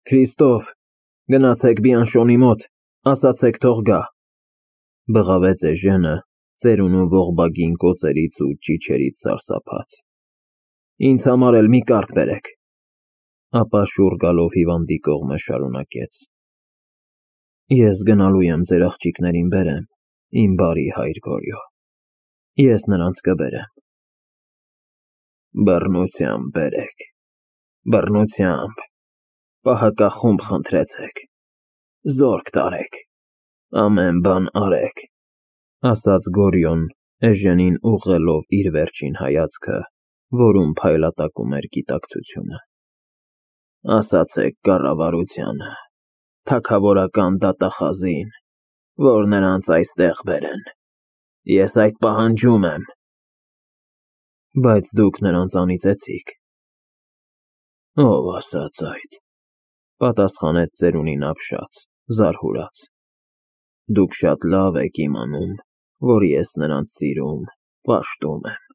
Քրիստոֆ, գնացեք Բիանշոնի մոտ, ասացեք թող գա, բղավեց Էժենը, ծերունու ողբագին կոծերից ու ճիչերից սարսափած։ Ինձ համար էլ մի կարգ բերեք, ապա շուռ գալով հիվանդի կողմը շարունակեց. Ես գնալու եմ ձեր աղջիկներին բերեմ, իմ բարի հայր Գորյո, ես նրանց կբերեմ։ Բռնությամբ բերեք, բռնությամբ, պահակախումբ խնդրեցեք, զորք տարեք, ամեն բան արեք, ասաց Գորյոն, Էժենին ուղղելով իր վերջին հայացքը, որում փայլատակում էր գիտակցությունը։ Ասացեք կառավարությանը, թագավորական դատախազին, որ նրանց այստեղ բերեն, ես այդ պահանջում եմ։ Բայց դուք նրանց անիծեցիք։ Ով ասաց այդ, պատասխանեց ծերունին ապշած, զարհուրած։ Դուք շատ լավ եք իմանում, որ ես նրանց սիրում, պաշտում եմ։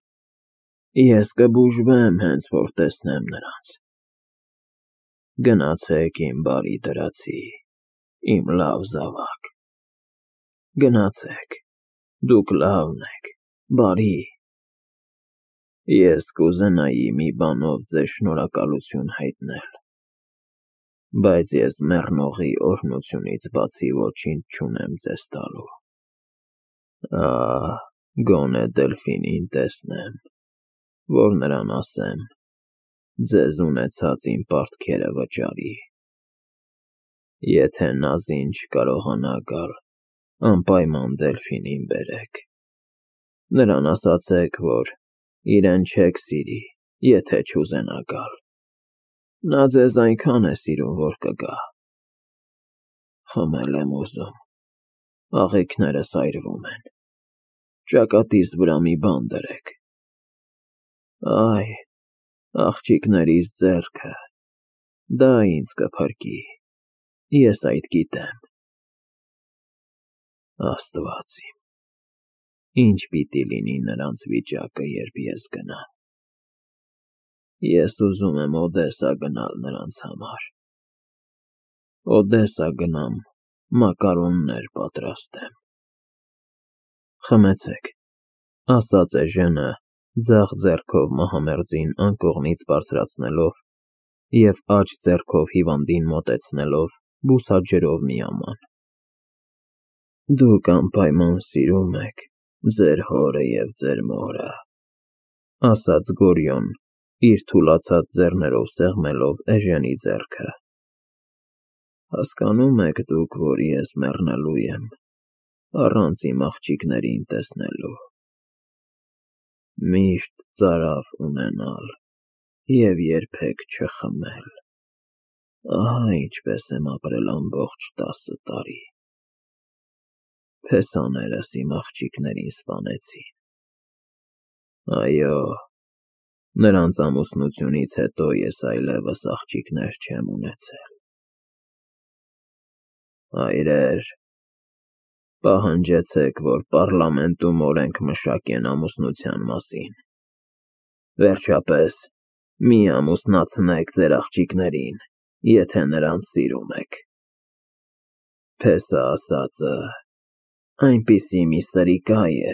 Ես կբուժվեմ, հենց որ տեսնեմ նրանց։ Գնացեք իմ բարի դրացի, իմ լավ զավակ։ Գնացեք, դուք լավն եք, բարի։ Ես կուզենայի մի բանով ձեզ շնորհակալություն հայտնել, բայց ես մեռնողի օրհնությունից բացի ոչինչ չունեմ ձեզ տալու։ Գոնե Դելֆինին տեսնեմ, որ նրան ասեմ, ձեզ ունեցած իմ պարտքերը վճարի։ Եթե Նազին չկարողանա գալ, անպայման Դելֆինին բերեք։ Նրան ասացեք, որ իրեն չեք սիրի, եթե չուզենա գալ։ Նա ձեզ այնքան է սիրում, որ կգա։ Խմել եմ ուզում, աղիքներս այրվում են, ճակատիս վրա մի բան դրեք։ Այ, աղջիկներիս ձեռքը, դա ինձ կփրկի, ես այդ գիտեմ։ Աստված իմ, ինչ պիտի լինի նրանց վիճակը, երբ ես գնամ։ Ես ուզում եմ Օդեսա գնալ նրանց համար։ Օդեսա գնամ, մակարոններ պատրաստեմ։ Խմեցեք, ասաց Էժենը, ձախ ձեռքով մահամերձին անկողնից բարձրացնելով և աջ ձեռքով հիվանդին մոտեցնելով, բուսաջրով միաման։ Դուք անպայման սիրում եք ձեր հորը և ձեր մորը, ասաց Գորյոն, իր թուլացած ձեռներով սեղմելով Էժենի ձեռքը։ Հասկանում եք դուք, որ ես մեռնելու եմ, առանց իմ աղջիկներին տեսնելու։ Միշտ ծարավ ունենալ և երբեք չխմել։ Ահա ինչպես եմ ապրել ամբողջ 10 տարի։ Փեսաներս իմ աղջիկներին սպանեցին։ Այո, նրանց ամուսնությունից հետո ես այլևս աղջիկներ չեմ ունեցել։ Հայրեր, պահանջեցեք, որ պառլամենտում օրենք մշակեն ամուսնության մասին։ Վերջապես, մի ամուսնացնեք ձեր աղջիկներին, եթե նրանց սիրում եք։ Փեսա ասածը այնպիսի մի սրիկա է,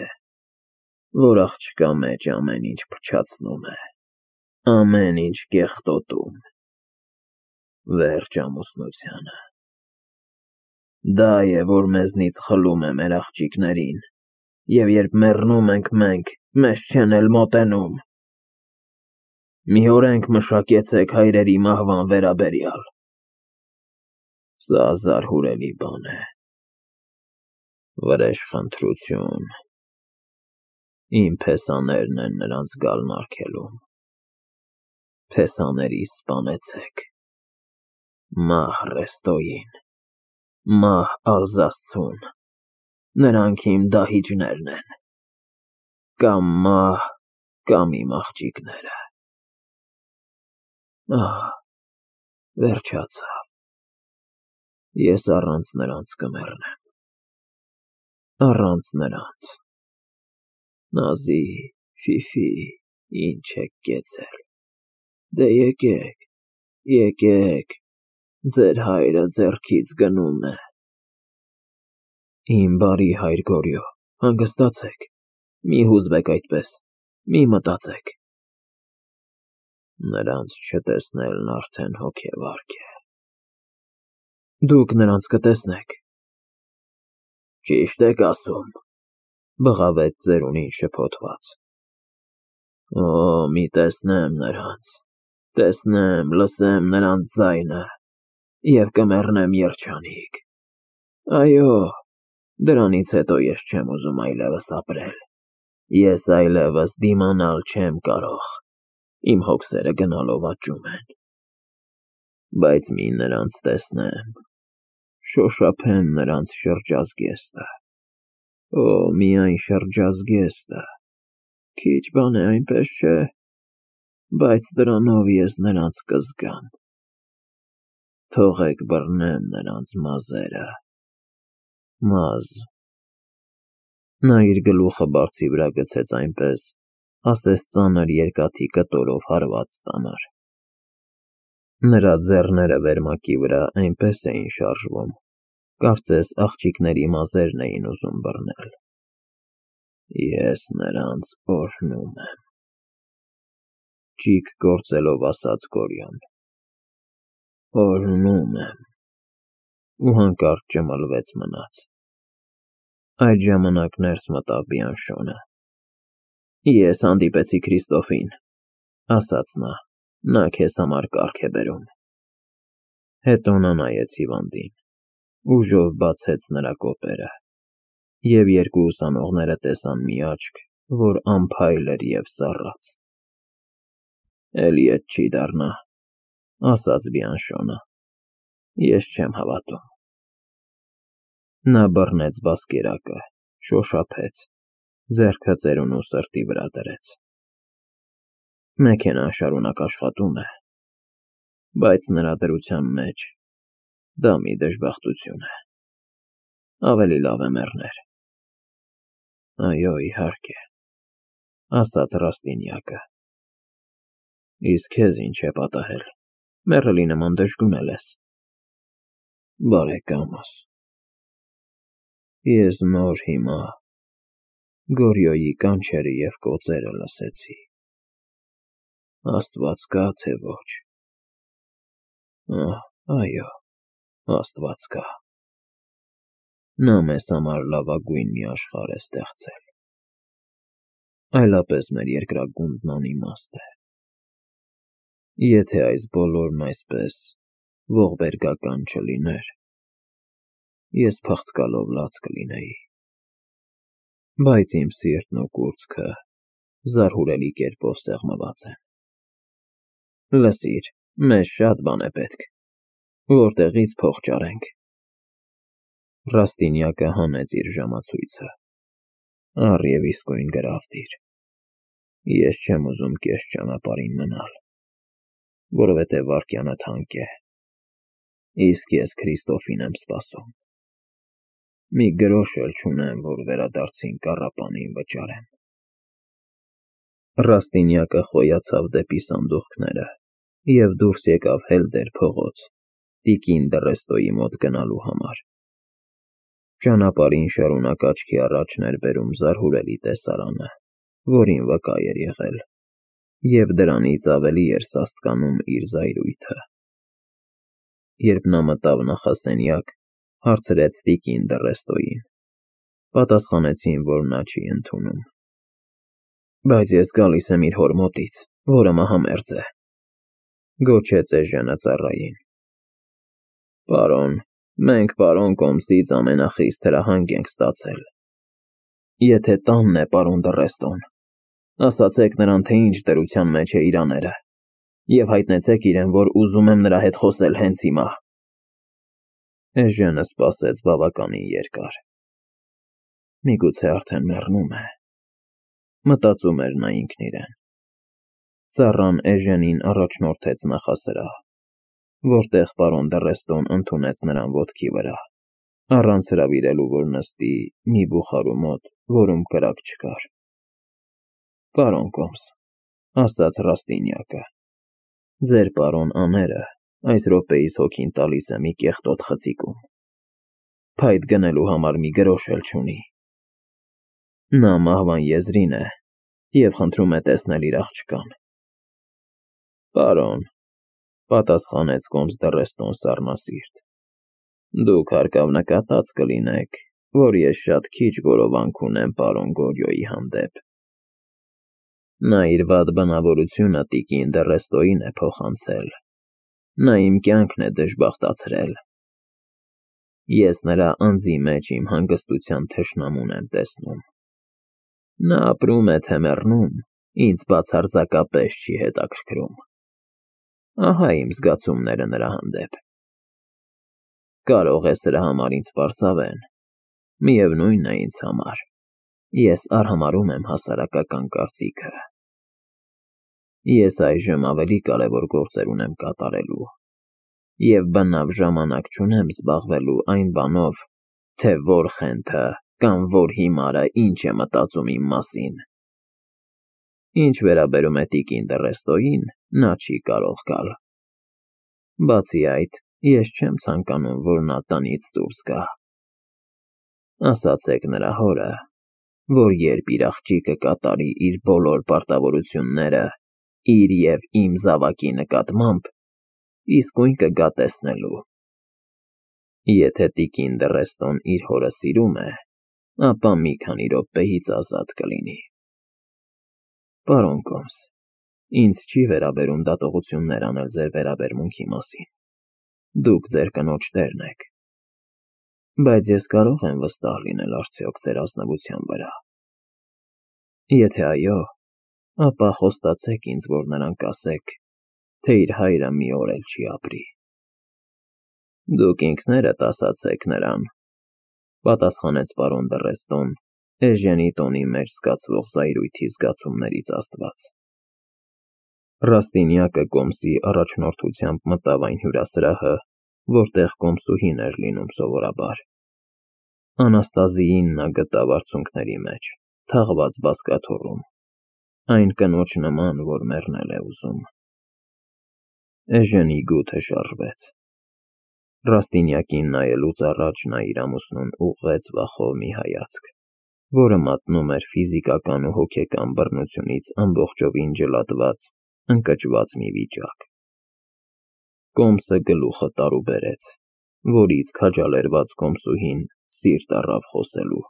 որ աղջկա մեջ ամեն ինչ փչացնում է, ամեն ինչ կեղտոտում։ Վերջ ամուսնությանը։ Դա է, որ մեզնից խլում է մեր աղջիկներին, և երբ մեռնում ենք մենք, մեզ չեն էլ մոտենում։ Մի օրենք մշակեցեք հայրերի մահվան վերաբերյալ։ Սա զարհուրելի բան է։ Վրեժխնդրություն։ Իմ փեսաներն են նրանց գալն արգելում։ Փեսաներիս սպանեցեք։ Մահ Ռեստոյին, մահ Ալզասցուն, նրանք իմ դահիճներն են։ Կամ մահ, կամ իմ աղջիկները։ Վերջացավ։ Ես առանց նրանց կմեռնեմ։ Առանց նրանց։ Նազի, Ֆիֆի, ինչ եք կեցել։ Դե եկեք, եկեք, ձեր հայրը ձեռքից գնում է։ Իմ բարի հայր Գորիո, հանգստացեք, մի հուզվեք այդպես, մի մտածեք։ Նրանց չտեսնելն արդեն հոգեվարք է։ Դուք նրանց կտեսնեք։ Ճիշտ եք ասում, բղավեց ծերունին շփոթված։ Օ, մի տեսնեմ նրանց, տեսնեմ, լսեմ նրանց ձայնը և կմեռնեմ երջանիկ։ Այո, դրանից հետո ես չեմ ուզում այլևս ապրել, ես այլևս դիմանալ չեմ կարող, իմ հոգսերը գնալով աճում են։ Բայց մի նրանց տեսնեմ, շոշափեմ նրանց շրջազգեստը, օ, միայն շրջազգեստը, քիչ բան է, այնպես չէ, բայց դրանով ես նրանց կզգամ, թողեք բռնեմ նրանց մազերը, մազ։ Նա իր գլուխը բարձի վրա գցեց այնպես, ասես ծանր երկաթի կտորով հարված ստանար։ Նրա ձեռները վերմակի վրա այնպես էին շարժվում, կարծես աղջիկների մազերն էին ուզում բռնել։ Ես նրանց օրհնում եմ, ճիգ գործելով ասաց Գորիոն, օրհնում եմ, ու հանկարծ ճմլվեց մնաց։ Այդ ժամանակ ներս մտավ Բիանշոնը։ Ես հանդիպեցի Քրիստոֆին, ասաց նա քեզ համար կարգ է բերում։ Հետո նա նայեց հիվանդին, ուժով բացեց նրա կոպերը, և երկու ուսանողները տեսան մի աչք, որ անփայլ էր և սառած։ Էլի էդ չի դառնա, ասաց Բիանշոնը, ես չեմ հավատում։ Նա բռնեց բասկերակը, շոշափեց, ձեռքը ծերունու սրտի վրա դրեց։ Մեքենան շարունակ աշխատում է, բայց նրա դրության մեջ դա մի դժբախտություն է։ Ավելի լավ է մեռներ։ Այո, իհարկե, ասաց Ռաստինյակը։ Իսկ քեզ ինչ է պատահել, մեռելի նման դժգունել ես։ Բարեկամս, ես նոր հիմա Գորիոյի կանչերը և կոծերը լսեցի։ Աստված կա, թե ոչ։ Այո, Աստված կա։ Նա մեզ համար լավագույն մի աշխարհ է ստեղծել։ Այլապես մեր երկրագունդն անիմաստ է։ Եթե այս բոլորն այսպես ողբերգական չլիներ, ես փախցկալով լաց կլինեի։ Բայց իմ սիրտն ու կուրծքը զարհուրելի կերպով սեղմված են։ Լսիր, մեզ շատ բան է պետք, որտեղի՞ց փող ճարենք։ Ռաստինյակը հանեց իր ժամացույցը։ Առ և իսկույն գրավ դիր։ Ես չեմ ուզում կես ճանապարհին մնալ, որովհետև վայրկյանը թանկ է, իսկ ես Քրիստոֆին եմ սպասում։ Մի գրոշ էլ չունեմ, որ վերադարձին կառապանին վճարեմ։ Ռաստինյակը խոյացավ դեպի սանդուղքները և դուրս եկավ հելդեր փողոց, տիկին Դռեստոյի մոտ գնալու համար։ Ճանապարհին շարունակ աչքի առաջն էր բերում զարհուրելի տեսարանը, որին վկա էր եղել, և դրանից ավելի էր սաստկանում իր զայրույթը։ Երբ նա մտավ նախասենյակ, հարցրեց տիկին Դռեստոյին։ Պատասխանեցին, որ նա չի ընդունում։ Բայց ես գալիս եմ իր հոր մոտից, որը մահամերձ է, գոչեց էժենը ծառային։ Պարոն, մենք պարոն Կոմսից ամենախիստ հրահանգ ենք ստացել։ Եթե տանն է պարոն Դռեստոն, ասացեք նրան, թե ինչ դրության մեջ է իր աները, և հայտնեցեք իրեն, որ ուզում եմ նրա հետ խոսել հենց հիմա։ Էժենը սպասեց բավականին երկար։ Միգուցե արդեն մեռնում է, մտածում էր նա ինքն իրեն։ Ծառան էժենին առաջնորդեց նախասրահ, որտեղ պարոն Դռեստոն ընդունեց նրան ոտքի վրա, առանց հրավիրելու, որ նստի մի բուխարու մոտ, որում կրակ չկար։ Պարոն Կոմս, ասաց Ռաստինյակը, ձեր պարոն աները այս րոպեիս հոգին տալիս է մի կեղտոտ խցիկում։ Փայտ գնելու համար մի գրոշ էլ չունի։ Նա մահվան եզրին է և խնդրում է տեսնել իր աղջկան։ Պարոն, պատասխանեց կոմս դռեստոն սառնասիրտ, դուք հարկավ նկատած կլինեք, որ ես շատ քիչ գորովանք ունեմ պարոն Գորյոյի հանդեպ։ Նա իր վատ բնավորությունը տիկին Դռեստոյին է փոխանցել, նա իմ կյանքն է դժբախտացրել։ Ես նրա անձի մեջ իմ հանգստության թշնամուն եմ տեսնում։ Նա ապրում է թե մեռնում, ինձ բացարձակապես չի հետաքրքրում։ Ահա իմ զգացումները նրա հանդեպ։ Կարող է սրա համար ինձ պարզավել, միևնույն է ինձ համար, ես արհամարհում եմ հասարակական կարծիքը։ Ես այժմ ավելի կարևոր գործեր ունեմ կատարելու և բնավ ժամանակ չունեմ զբաղվելու այն բանով, թե որ խենթը կամ որ հիմարը ինչ է մտածում իմ մասին։ Ինչ վերաբերում է տիկին Դռեստոյին, նա չի կարող գալ։ Բացի այդ, ես չեմ ցանկանում, որ նա տնից դուրս գա։ Ասացեք նրա հորը, որ երբ իր աղջիկը կատարի իր բոլոր պարտավորությունները իր և իմ զավակի նկատմամբ, իսկույն կգա տեսնելու։ Եթե տիկին Դռեստոն իր հորը սիրում է, ապա մի քանի րոպեից ազատ կլինի։ Պարոն կոմս, ինձ չի վերաբերում դատողություններ անել ձեր վերաբերմունքի մասին։ Դուք ձեր կնոջ տերն եք։ Բայց ես կարող եմ վստահ լինել արդյոք ձեր ազնվության վրա։ Եթե այո, ապա խոստացեք ինձ, որ նրան կասեք, թե իր հայրը մի օր էլ չի ապրի։ Դուք ինքներդ ասացեք նրան, պատասխանեց պարոն Դռեստոն, Էժենի տոնի մեջ զգացվող զայրույթի զգացումներից ազդված։ Ռաստինյակը կոմսի առաջնորդությամբ մտավ այն հյուրասրահը, որտեղ կոմսուհին էր լինում սովորաբար։ Անաստազիին նա գտավ արցունքների մեջ, թաղված բազկաթոռում, այն կնոջ նման, որ մեռնել է ուզում։ Էժենի գութը շարժվեց։ Ռաստինյակին նայելուց առաջ նա իր ամուսնուն ուղղեց վախով մի հայացք, որը մատնում էր ֆիզիկական ու հոգեկան բռնությունից ամբողջովին ջլատված, ընկճված մի վիճակ։ Կոմսը գլուխը տարուբերեց, որից քաջալերված կոմսուհին սիրտ առավ խոսելու։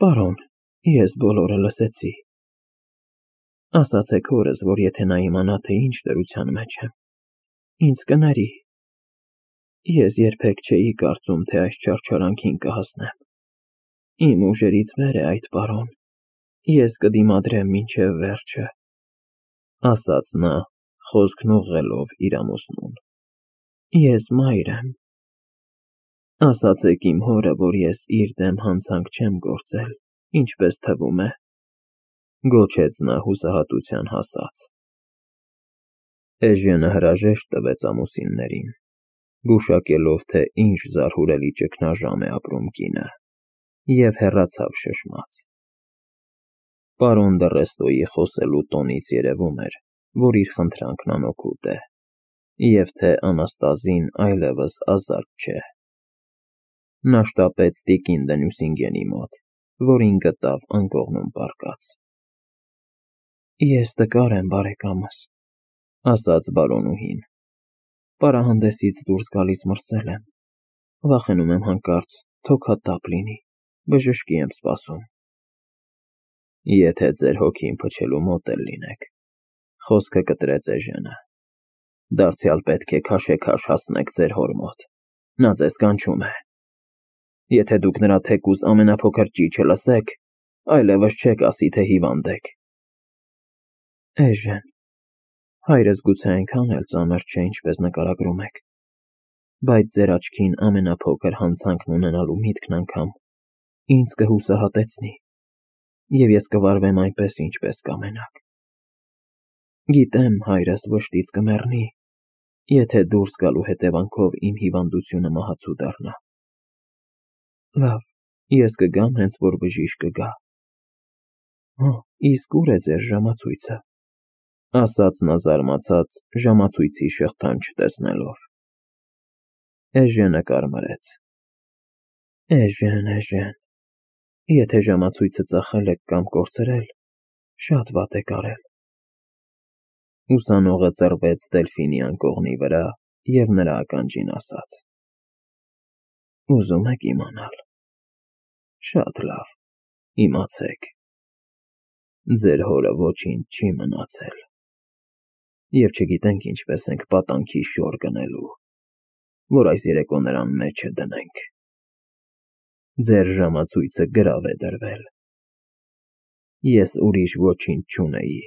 Պարոն, ես բոլորը լսեցի։ Ասացեք հորս, որ եթե նա իմանա, թե ինչ դրության մեջ եմ, ինձ կների։ Ես երբեք չէի կարծում, թե այս չարչարանքին կհասնեմ։ Իմ ուժերից վեր է այդ, պարոն։ Ես կդիմադրեմ մինչև վերջը, ասաց նա, խոսքն ուղղելով իր ամուսնուն։ Ես մայր եմ։ Ասացեք իմ հորը, որ ես իր դեմ հանցանք չեմ գործել, ինչպես թվում է, գոչեց նա հուսահատության հասած։ Էժենը հրաժեշտ տվեց ամուսիններին, գուշակելով, թե ինչ զարհուրելի ճգնաժամ է ապրում կինը, և հեռացավ շշմած։ Պարոն Դռեստոյի խոսելու տոնից երևում էր, որ իր խնդրանքն անօգուտ է, և թե Անաստազին այլևս ազատ չէ։ Նա շտապեց տիկին Դենյուսինգենի մոտ, որին գտավ անկողնում պառկած։ Ես տկար եմ, բարեկամս, ասաց բարոնուհին։ Պարահանդեսից դուրս գալիս մրսել եմ։ Վախենում եմ հանկարծ թոքատափ լինի, բժշկի եմ սպասում։ Եթե ձեր հոգին փչելու մոտ էլ լինեք, խոսքը կտրեց Էժենը, դարձյալ պետք է քաշեքաշ հասնեք ձեր հոր մոտ, նա ձեզ կանչում է։ Եթե դուք նրա թեկուզ ամենափոքր ճիչը լսեք, այլևս չեք ասի, թե հիվանդ եք։ Էժեն, հայրս գուցե այնքան էլ ծանր չէ, ինչպես նկարագրում եք, բայց ձեր աչքին ամենափոքր հանցանքն ունենալու միտքն անգամ ինձ կհուսահատեցնի, և ես կվարվեմ այնպես, ինչպես կամենաք։ Գիտեմ, հայրս վշտից կմեռնի, եթե դուրս գալու հետևանքով իմ հիվանդությունը մահացու դառնա։ Լավ, ես կգամ, հենց որ բժիշկը գա։ Իսկ ուր է ձեր ժամացույցը։ ասաց նա զարմացած ժամացույցի շղթան չտեսնելով։ Էժենը կարմրեց։ Էժեն, եթե ժամացույցը ծախել եք կամ կորցրել, շատ վատ եք արել։ Ուսանողը ծռվեց Դելֆինի անկողնի վրա և նրա ականջին ասաց. Ուզում եք իմանալ։ Շատ լավ, իմացեք։ Ձեր հորը ոչինչ չի մնացել։ Եվ չգիտենք ինչպես ենք պատանքի շոր գնելու, որ այս երեկո նրան մեջը դնենք։ Ձեր ժամացույցը գրավ է դրվել։ Ես ուրիշ ոչինչ չունեի։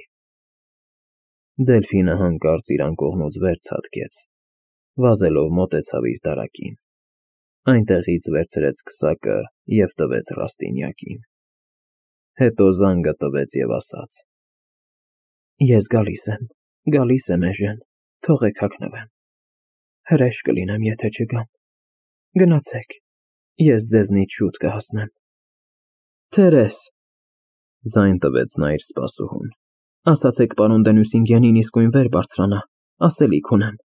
Դելֆինը հանկարծ իր անկողնուց վեր ցատկեց, վազելով մոտեցավ իր տարակին, այնտեղից վերցրեց քսակը և տվեց Ռաստինյակին։ Հետո զանգը տվեց և ասաց. Ես գալիս եմ, էժեն, թողեք հագնվեմ։ Հրեշ կլինեմ, եթե չգամ։ Գնացեք, ես ձեզնից շուտ կհասնեմ։ Թերես, ձայն տվեց նա իր սպասուհուն, ասացեք պարոն Դենյուսինգենին իսկույն վեր բարձրանա, ասելիք ունեմ։